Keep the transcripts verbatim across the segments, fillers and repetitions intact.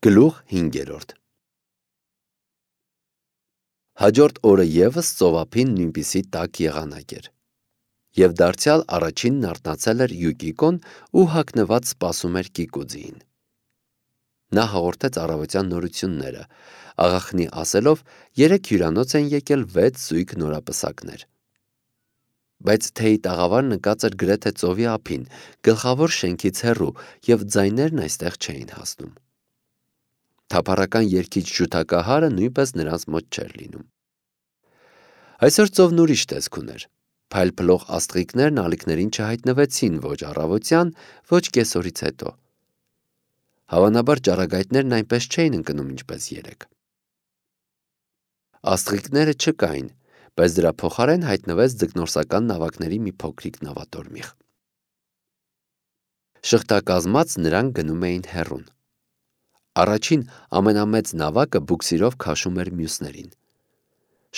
Գլուխ հինգերորդ Հաջորդ օրը ևս ծովափին նույնպիսի տաք եղանակ էր, և դարձյալ առաջինն արթնացել էր Յուկիկոն ու հագնված սպասում էր Կիկուձիին։ Նա հաղորդեց առավոտյան նորությունները, աղախնի ասելով երեկ հյուրանոց են եկել վեց զույգ նորապսակներ։ Բայց թեյի տաղավարն ընկած էր գրեթե ծովի ափին, գլխավոր շենքից հեռու, և ձայներն այստեղ չէին հասնում։ Թափառական երգիչ ջութակահարը նույնպես նրանց մոտ չէր լինում։ Այսօր ծովն ուրիշ տեսք ուներ։ Փայլփլող աստղիկներն ալիքներին չհայտնվեցին ոչ առավոտյան, ոչ կեսօրից հետո։ Հավանաբար ճառագայթներն այնպես չէին ընկնում, ինչպես երեկ։ Աստղիկները չկային, բայց դրա փոխարեն հայտնվեց ձկնորսական նավակների մի փոքրիկ նավատորմիղ։ Շղթակազմած նրանք գնում էին հեռուն։ Առաջին ամենամեծ նավակը բուքսիրով քաշում էր մյուսներին։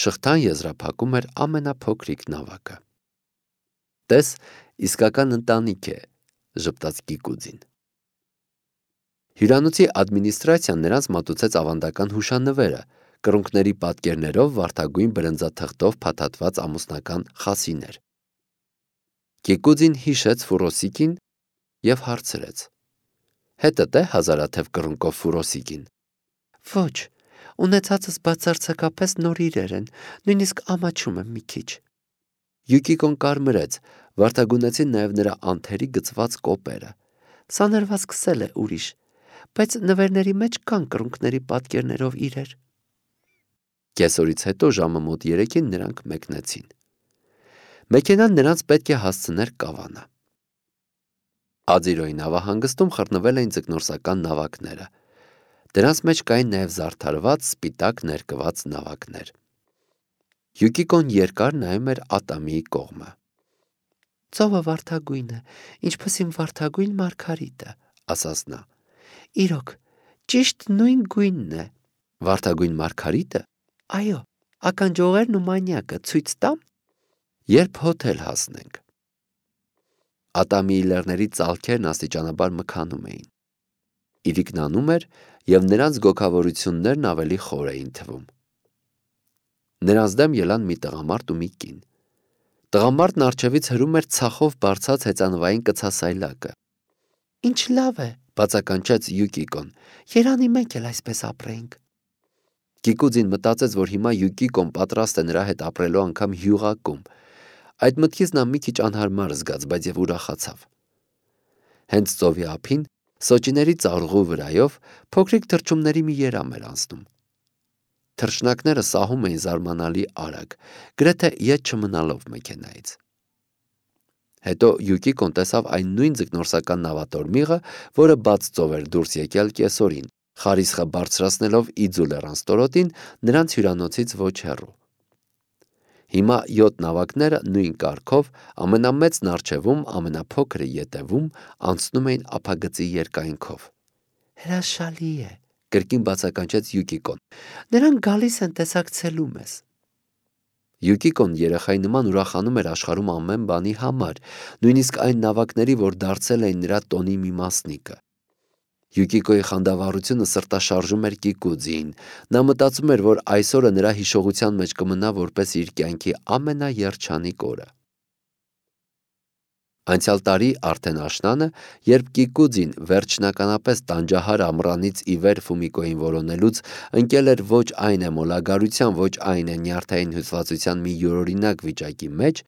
Շղթան եզրափակում էր ամենափոքրիկ նավակը։ Տես, իսկական ընտանիք է, ժպտաց Կիկուձին։ Հյուրանոցի ադմինիստրացիան նրանց մատուցեց ավանդական հուշանվերը, կռունկների պատկերներով վարդագույն բրնձաթղթով փաթաթված ամուսնական խասիներ։ Կիկուձին հիշեց Ֆուրոսիկին և հարցրեց. Հետդ է հազարաթև կռունկով Ֆուրոսիկին։ Ոչ, ունեցածս բացարձակապես նոր իրեր են, նույնիսկ ամաչում եմ մի քիչ։ Յուկիկոն կարմրեց, վարդագույնեցին նաև նրա անթերի գծված կոպերը։ Սա սկսել է ուրիշ, բայց նվերների մեջ կան կռունկների պատկերներով իրեր։ Կեսօրից հետո ժամը մոտ երեքին նրանք մեկնեցին։ Մեքենան նրանց պետք է հասցներ Կավանա։ Ադիրոյի նավահանգստում խռնվել էին ձկնորսական նավակները։ Դրանց մեջ կային նաև զարդարված սպիտակ ներկված նավակներ։ Յուկիկոն երկար նայում էր Ատամիի կողմը։ Ծովը վարդագույն է, ինչպես իմ վարդագույն մարգարիտը, ասաց նա։ Իրոք, ճիշտ նույն գույնն է։ Վարդագույն մարգարիտը։ Այո, ականջողերն ու մանյակը ցույց տամ։ Երբ հոթել հասնենք։ Ատամիի լեռների ծալքերն աստիճանաբար մքանում էին։ Իրիկն անում էր, և նրանց գոգավորություններն ավելի խոր էին թվում։ Նրանց դեմ ելան մի տղամարդ ու մի կին։ Տղամարդն առջևից հրում էր ցախով բարձած հեծանվային կցասայլակը։ Ինչ լավ է, բացականչեց Յուկիկոն, երանի մենք էլ այսպես ապրեինք։ Կիկուձին մտածեց, որ հիմա Յուկիկոն պատրաստ է նրա հետ ապրելու անգամ հյուղակում։ Այդ մտքից նա մի քիչ անհարմար զգաց, բայց և ուրախացավ։ Հենց ծովի ափին, սոճիների ծառուղու վրայով, փոքրիկ թռչունների մի երամ էր անցնում։ Թռչնակները սահում էին զարմանալի արագ, գրեթե ետ չմնալով մեքենայից։ Հետո Յուկիկոն տեսավ այն նույն ձկնորսական նավատորմիղը, որը բաց ծով էր դուրս եկել կեսօրին, խարիսխը բարձրացնելով Իձու լեռնաստորոտին նրանց հյուրանոցից ոչ հեռու։ Հիմա յոթ նավակները նույն կարգով, ամենամեծն առջևում, ամենափոքրը ետևում, անցնում էին ափագծի երկայնքով։ Հրաշալի է, կրկին բացականչեց Յուկիկոն։ Նրանք գալիս են տեսակցելու մեզ։ Յուկիկոն երեխայի նման ուրախանում էր աշխարհում ամեն բանի համար, նույնիսկ այն նավակների, որ դարձել էին նրա տոնի մի մասնիկը։ Յուկիկոյի խանդավառությունը սրտաշարժում էր Կիկուձիին։ Նա մտածում էր, որ այսօրը նրա հիշողության մեջ կմնա որպես իր կյանքի ամենաերջանիկ օրը։ Անցյալ տարի արդեն աշնանը, երբ Կիկուձին վերջնականապես տանջահար ամռանից ի վեր Ֆումիկոյին որոնելուց ընկել էր ոչ այն է մոլագարության, ոչ այն է նյարդային հյուսվածության մի յուրօրինակ վիճակի մեջ,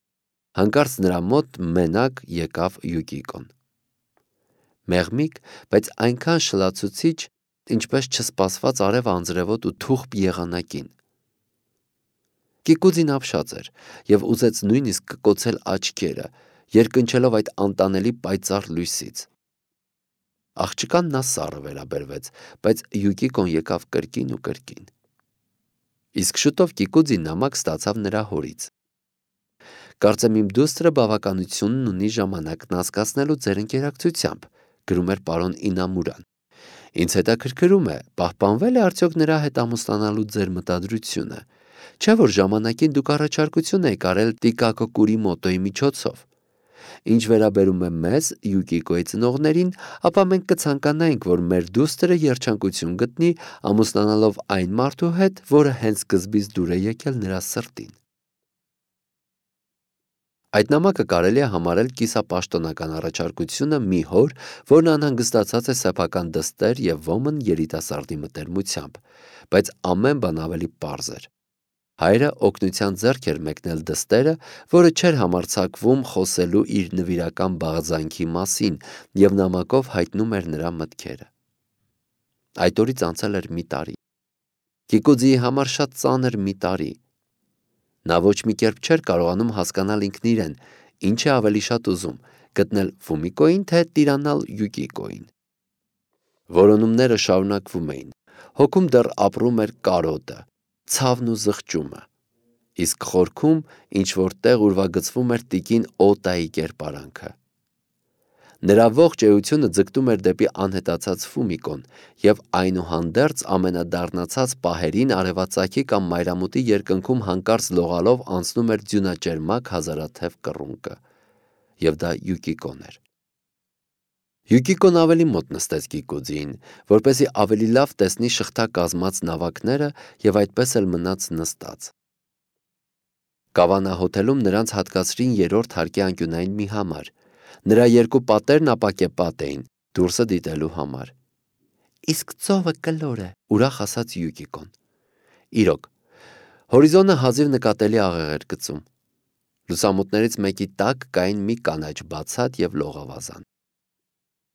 հանկարծ նրա մոտ մենակ եկավ Յուկիկոն։ Մեղմիկ, բայց այնքան շլացուցիչ, ինչպես չսպասված արև անձրևոտ ու թուխպ եղանակին։ Կիկուձին ապշած էր և ուզեց նույնիսկ կկոցել աչքերը, երկնչելով այդ անտանելի պայծառ լույսից։ Աղջկան նա սառը վերաբերվեց, բայց Յուկիկոն եկավ կրկին ու կրկին։ Իսկ շուտով Կիկուձին նամակ ստացավ նրա հորից։ Կարծեմ իմ դուստրը բավականությունն ունի ժամանակն անցկացնելու ձեր ընկերակցությամբ, գրում էր պարոն Ինամուրան։ Ինձ հետաքրքրում է, պահպանվել է արդյոք նրա հետ ամուսնանալու ձեր մտադրությունը, չէ՞ որ ժամանակին դուք առաջարկություն եք արել Տիկակո Կուրիմոտոյի միջոցով։ Ինչ վերաբերում է մեզ, Յուկիկոյի ծնողներին, ապա մենք կցանկանայինք, որ մեր դուստրը երջանկություն գտնի, ամուսնանալով այն մարդու հետ, որը հենց սկզբից դուր է եկել նրա սրտին։ Այդ նամակը կարելի է համարել կիսապաշտոնական առաջարկությունը մի հոր, որն անհանգստացած է սեփական դստեր և ոմն երիտասարդի մտերմությամբ, բայց ամեն բան ավելի պարզ էր։ Հայրը օգնության ձեռք էր մեկնել դստերը, որը չէր համարձակվում խոսելու իր նվիրական բաղձանքի մասին և նամակով հայտնում էր նրա մտքերը։ Այդ օրից անցել էր մի տարի։ Կիկուձիի համար շատ ծանր մի տարի։ Նա ոչ մի կերպ չէր կարողանում հասկանալ ինքն իրեն, ինչ է ավելի շատ ուզում, գտնել Ֆումիկոյին, թե տիրանալ Յուկիկոյին։ Որոնումները շարունակվում էին, հոգում դեռ ապրում էր կարոտը, ցավն ու զղջումը, իսկ խորքում ինչ-որ տեղ ուրվագծվում էր տիկին Օտայի կերպարանքը։ Նրա ողջ էությունը ձգտում էր դեպի անհետացած Ֆումիկոն և այնուհանդերձ ամենադառնացած պահերին արևածագի կամ մայրամուտի երկնքում հանկարծ լողալով անցնում էր ձյունաճերմակ հազարաթև կռունկը, և դա Յուկիկոն էր։ Յուկիկոն ավելի մոտ նստեց Կիկուձիին, որպեսզի ավելի լավ տեսնի շղթա կազմած նավակները և այդպես էլ մնաց նստած։ Կավանա հոթելում նրանց հատկացրին երրորդ հարկի անկյունային մի համար։ Նրա երկու պատերն ապակեպատ էին, դուրսը դիտելու համար։ Իսկ ծովը կլոր է, ուրախ ասաց Յուկիկոն։ Իրոք, հորիզոնը հազիվ նկատելի աղեղ էր գծում։ Լուսամուտներից մեկի տակ կային մի կանաչ բացատ և լողավազան։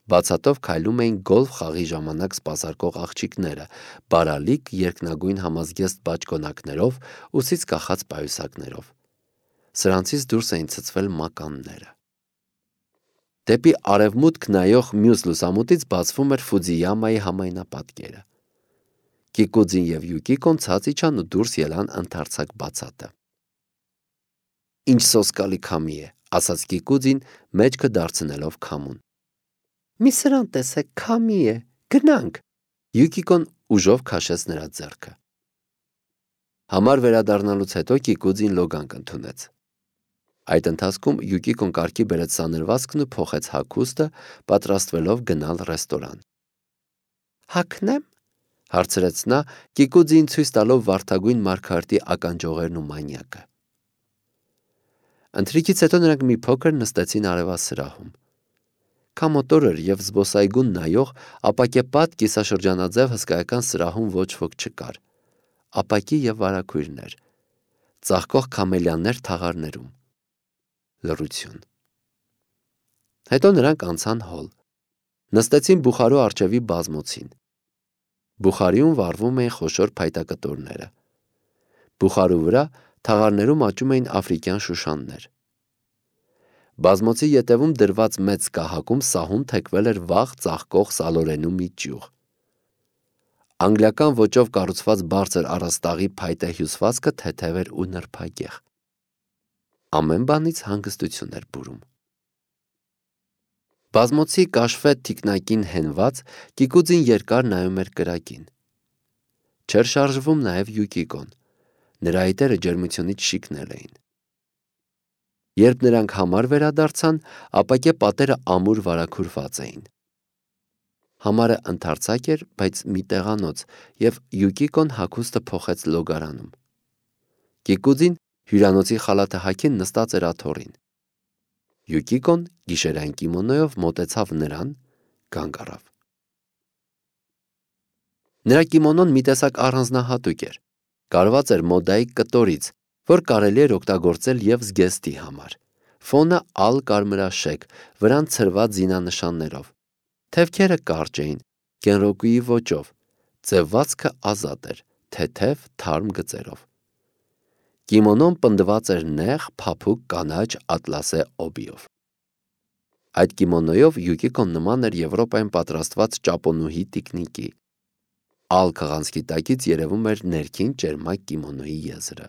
Բացատով քայլում էին գոլֆ խաղի ժամանակ սպասարկող աղջիկները, բարալիկ երկնագույն համազգեստ բաճկոնակներով, ուսից կախած պայուսակներով։ Սրանցից դուրս էին ցցվել մականները։ Դեպի արևմուտք նայող մյուս լուսամուտից բացվում էր Ֆուձիյամայի համայնապատկերը։ Կիկուձին և Յուկիկոն ցած իջան ու դուրս ելան ընդարձակ բացատը։ Ինչ սոսկալի քամի է, ասաց Կիկուձին, մեջքը դարձնելով քամուն։ Մի սրան տեսեք, քամի է, գնանք։ Յուկիկոն ուժով քաշեց նրա ձեռքը։ Համար վերադառնալուց հետո Կիկուձին լոգանք ընդունեց։ Այդ ընթացքում Յուկիկոն կարգի բերեց սանրվածքն ու փոխեց հագուստը, պատրաստվելով գնալ ռեստորան։ Հագնե՞մ, հարցրեց նա, Կիկուձիին ցույց տալով վարդագույն մարգարտի ականջողերն ու մանյակը։ Ընթրիքից հետո նրանք մի փոքր նստեցին արևասրահում։ Քամոտոր էր և զբոսայգուն նայող, ապակեպատ կիսաշրջանաձև հսկայական սրահում ոչ ոք չկար։ Ապակի և վարագույրներ, ծաղկող քամելիաներ թաղարներում։ Լռություն։ Հետո նրանք անցան հոլ։ Նստեցին բուխարու առջևի բազմոցին։ Բուխարիում վառվում էին խոշոր փայտակտորները։ Բուխարու վրա թաղարներում աճում էին աֆրիկյան շուշաններ։ Բազմոցի ետևում դրված մեծ կահակում սահուն թեքվել էր վաղ ծաղկող սալորենու մի ճյուղ։ Անգլիական ոճով կառուցված բարձր առաստաղի փայտե հյուսվածքը թեթև էր ու նրբագեղ։ Ամեն բանից հանգստություն էր բուրում։ Բազմոցի կաշվե թիկնակին հենված, Կիկուձին երկար նայում էր կրակին։ Չէր շարժվում նաև Յուկիկոն։ Նրա այտերը ջերմությունից շիկնել էին։ Երբ նրանք համար վերադարձան, ապակե պատերը ամուր վարագուրված էին։ Համարը ընդարձակ էր, բայց մի տեղանոց, և Յուկիկոն հագուստը փոխեց լոգարանում։ Կիկուձին հյուրանոցի խալաթը հագին նստած էր աթոռին։ Յուկիկոն գիշերային կիմոնոյով մոտեցավ նրան, կանգ առավ։ Նրա կիմոնոն մի տեսակ առանձնահատուկ էր, կարված էր մոդայիկ կտորից, որ կարելի էր օգտագործել և զգեստի համար։ Ֆոնը ալ կարմրաշեկ, վրան ցրված զինանշաններով։ Թևքերը կարճ էին, կենրոկուի ոճով, ձևվածքը ազատ էր, թեթև, թարմ գծերով։ Կիմոնոն պնդված էր նեղ, փափուկ կանաչ ատլասե օբիով։ Այդ կիմոնոյով Յուկիկոն նման էր Եվրոպայում պատրաստված ճապոնուհի տիկնիկի։ Ալ քղանցքի տակից երևում էր ներքին ճերմակ կիմոնոյի եզրը։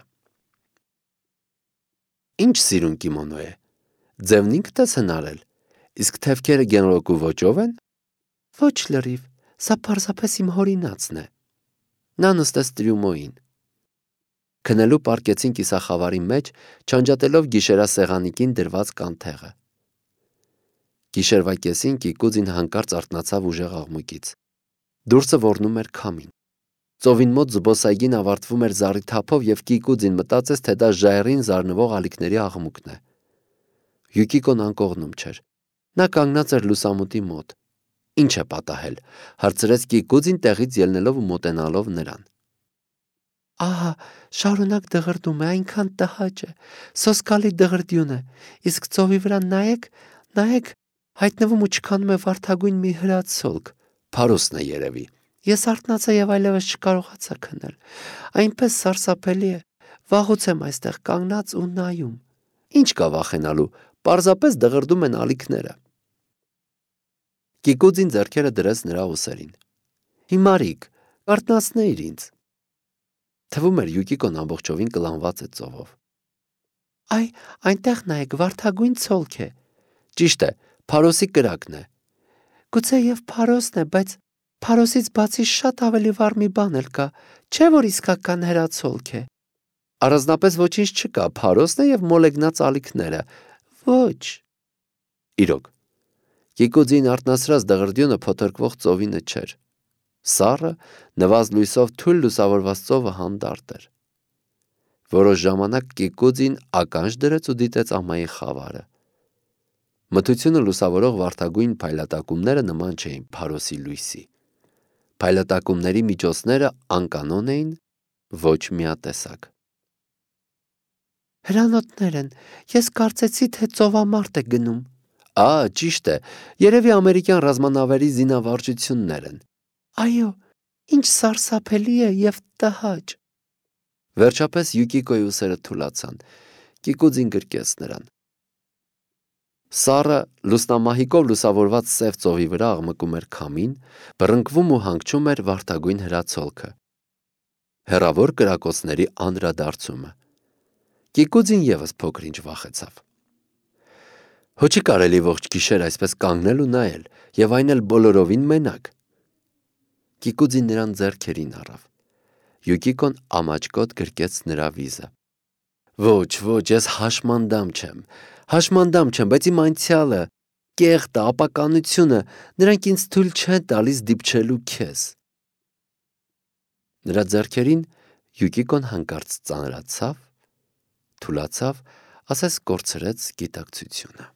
Ինչ սիրուն կիմոնո է։ Ձևն ինքդ ես հնարել, իսկ թևքերը գենրոկու ոճով են։ Ոչ լրիվ, սա պարզապես իմ հորինացն է։ Նա նստեց տրյումոյին։ Քնելու պառկեցին կիսախավարի մեջ, չանջատելով գիշերասեղանիկին դրված կանթեղը։ Գիշերվա կեսին Կիկուձին հանկարծ արթնացավ ուժեղ աղմուկից։ Դուրսը ոռնում էր քամին։ Ծովին մոտ զբոսայգին ավարտվում էր զառի թափով և Կիկուձին մտածեց, թե դա ժայռին զարնվող ալիքների աղմուկն է։ Յուկիկոն անկողնում չէր։ Նա կանգնած էր լուսամուտի մոտ։ Ինչ է պատահել, հարցրեց Կիկուձին տեղից ելնելով ու մոտենալով նրան։ Ահա, շարունակ դղրդում է, այնքան տհաճ է, սոսկալի դղրդյուն է, իսկ ծովի վրա նայեք, նայեք, հայտնվում ու չքանում է վարդագույն մի հրացոլք, Փարոսն է երևի։ Ես արթնացա և այլևս չկարողացա քնել։ Այնպես սարսափելի է, վաղուց եմ այստեղ կանգնած ու նայում։ Ինչ կա վախենալու, պարզապես դղրդում են ալիքները։ Կիկուձին ձեռքերը դրեց նրա ուսերին։ Հիմարիկ, կարթնացնեիր ինձ։ Թվում էր Յուկիկոն ամբողջովին կլանված է ծովով։ Այ, այնտեղ նայեք, վարդագույն ցոլք է։ Ճիշտ է, Փարոսի կրակն է։ Գուցե և Փարոսն է, բայց Փարոսից բացի շատ ավելի վառ մի բան էլ կա, չէ՞ որ իսկական հրացոլք է։ Առանձնապես ոչինչ չկա, Փարոսն է և մոլեգնած ալիքները։ Ոչ։ Իրոք, Կիկուձին արթնացրած դղրդյունը փոթորկվող ծովինը չէր։ Սառը, նվազ լույսով թույլ լուսավորված ծովը հանդարտ էր։ Որոշ ժամանակ Կիկուձին ականջ դրեց ու դիտեց ամայի խավարը։ Մթությունը լուսավորող վարդագույն փայլատակումները նման չէին Փարոսի լույսի։ Փայլատակումների միջոցները անկանոն էին, ոչ միատեսակ։ Հրանոթներ են, ես կարծեցի, թե ծովամարտ է գնում։ Ա, ճիշտ է, երևի ամերիկյան ռազմանավերի զինավարժություններ են։ Այո, ինչ սարսափելի է և տհաճ։ Վերջապես Յուկիկոյի ուսերը թուլացան։ Կիկուձին գրկեց նրան։ Սառը, լուսնամահիկով լուսավորված սև ծովի վրա աղմկում էր քամին, բռնկվում ու հանգչում էր վարդագույն հրացոլքը։ Հեռավոր կրակոցների անդրադարձումը։ Կիկուձին ևս փոքր-ինչ վախեցավ։ Հո չի կարելի ողջ գիշեր այսպես կանգնել ու նայել, և այն էլ բոլորովին մենակ։ Կիկուձին նրան ձեռքերին առավ։ Յուկիկոն ամաչկոտ գրկեց նրա վիզը։ Ոչ, ոչ, ես հաշմանդամ չեմ, հաշմանդամ չեմ, բայց իմ անցյալը, կեղտը, ապականությունը, նրանք ինձ թույլ չեն տալիս դիպչելու քեզ։ Նրա ձեռքերին Յուկիկոն հանկարծ ծանրացավ, թուլացավ, ասես կորցրեց գիտակցությունը։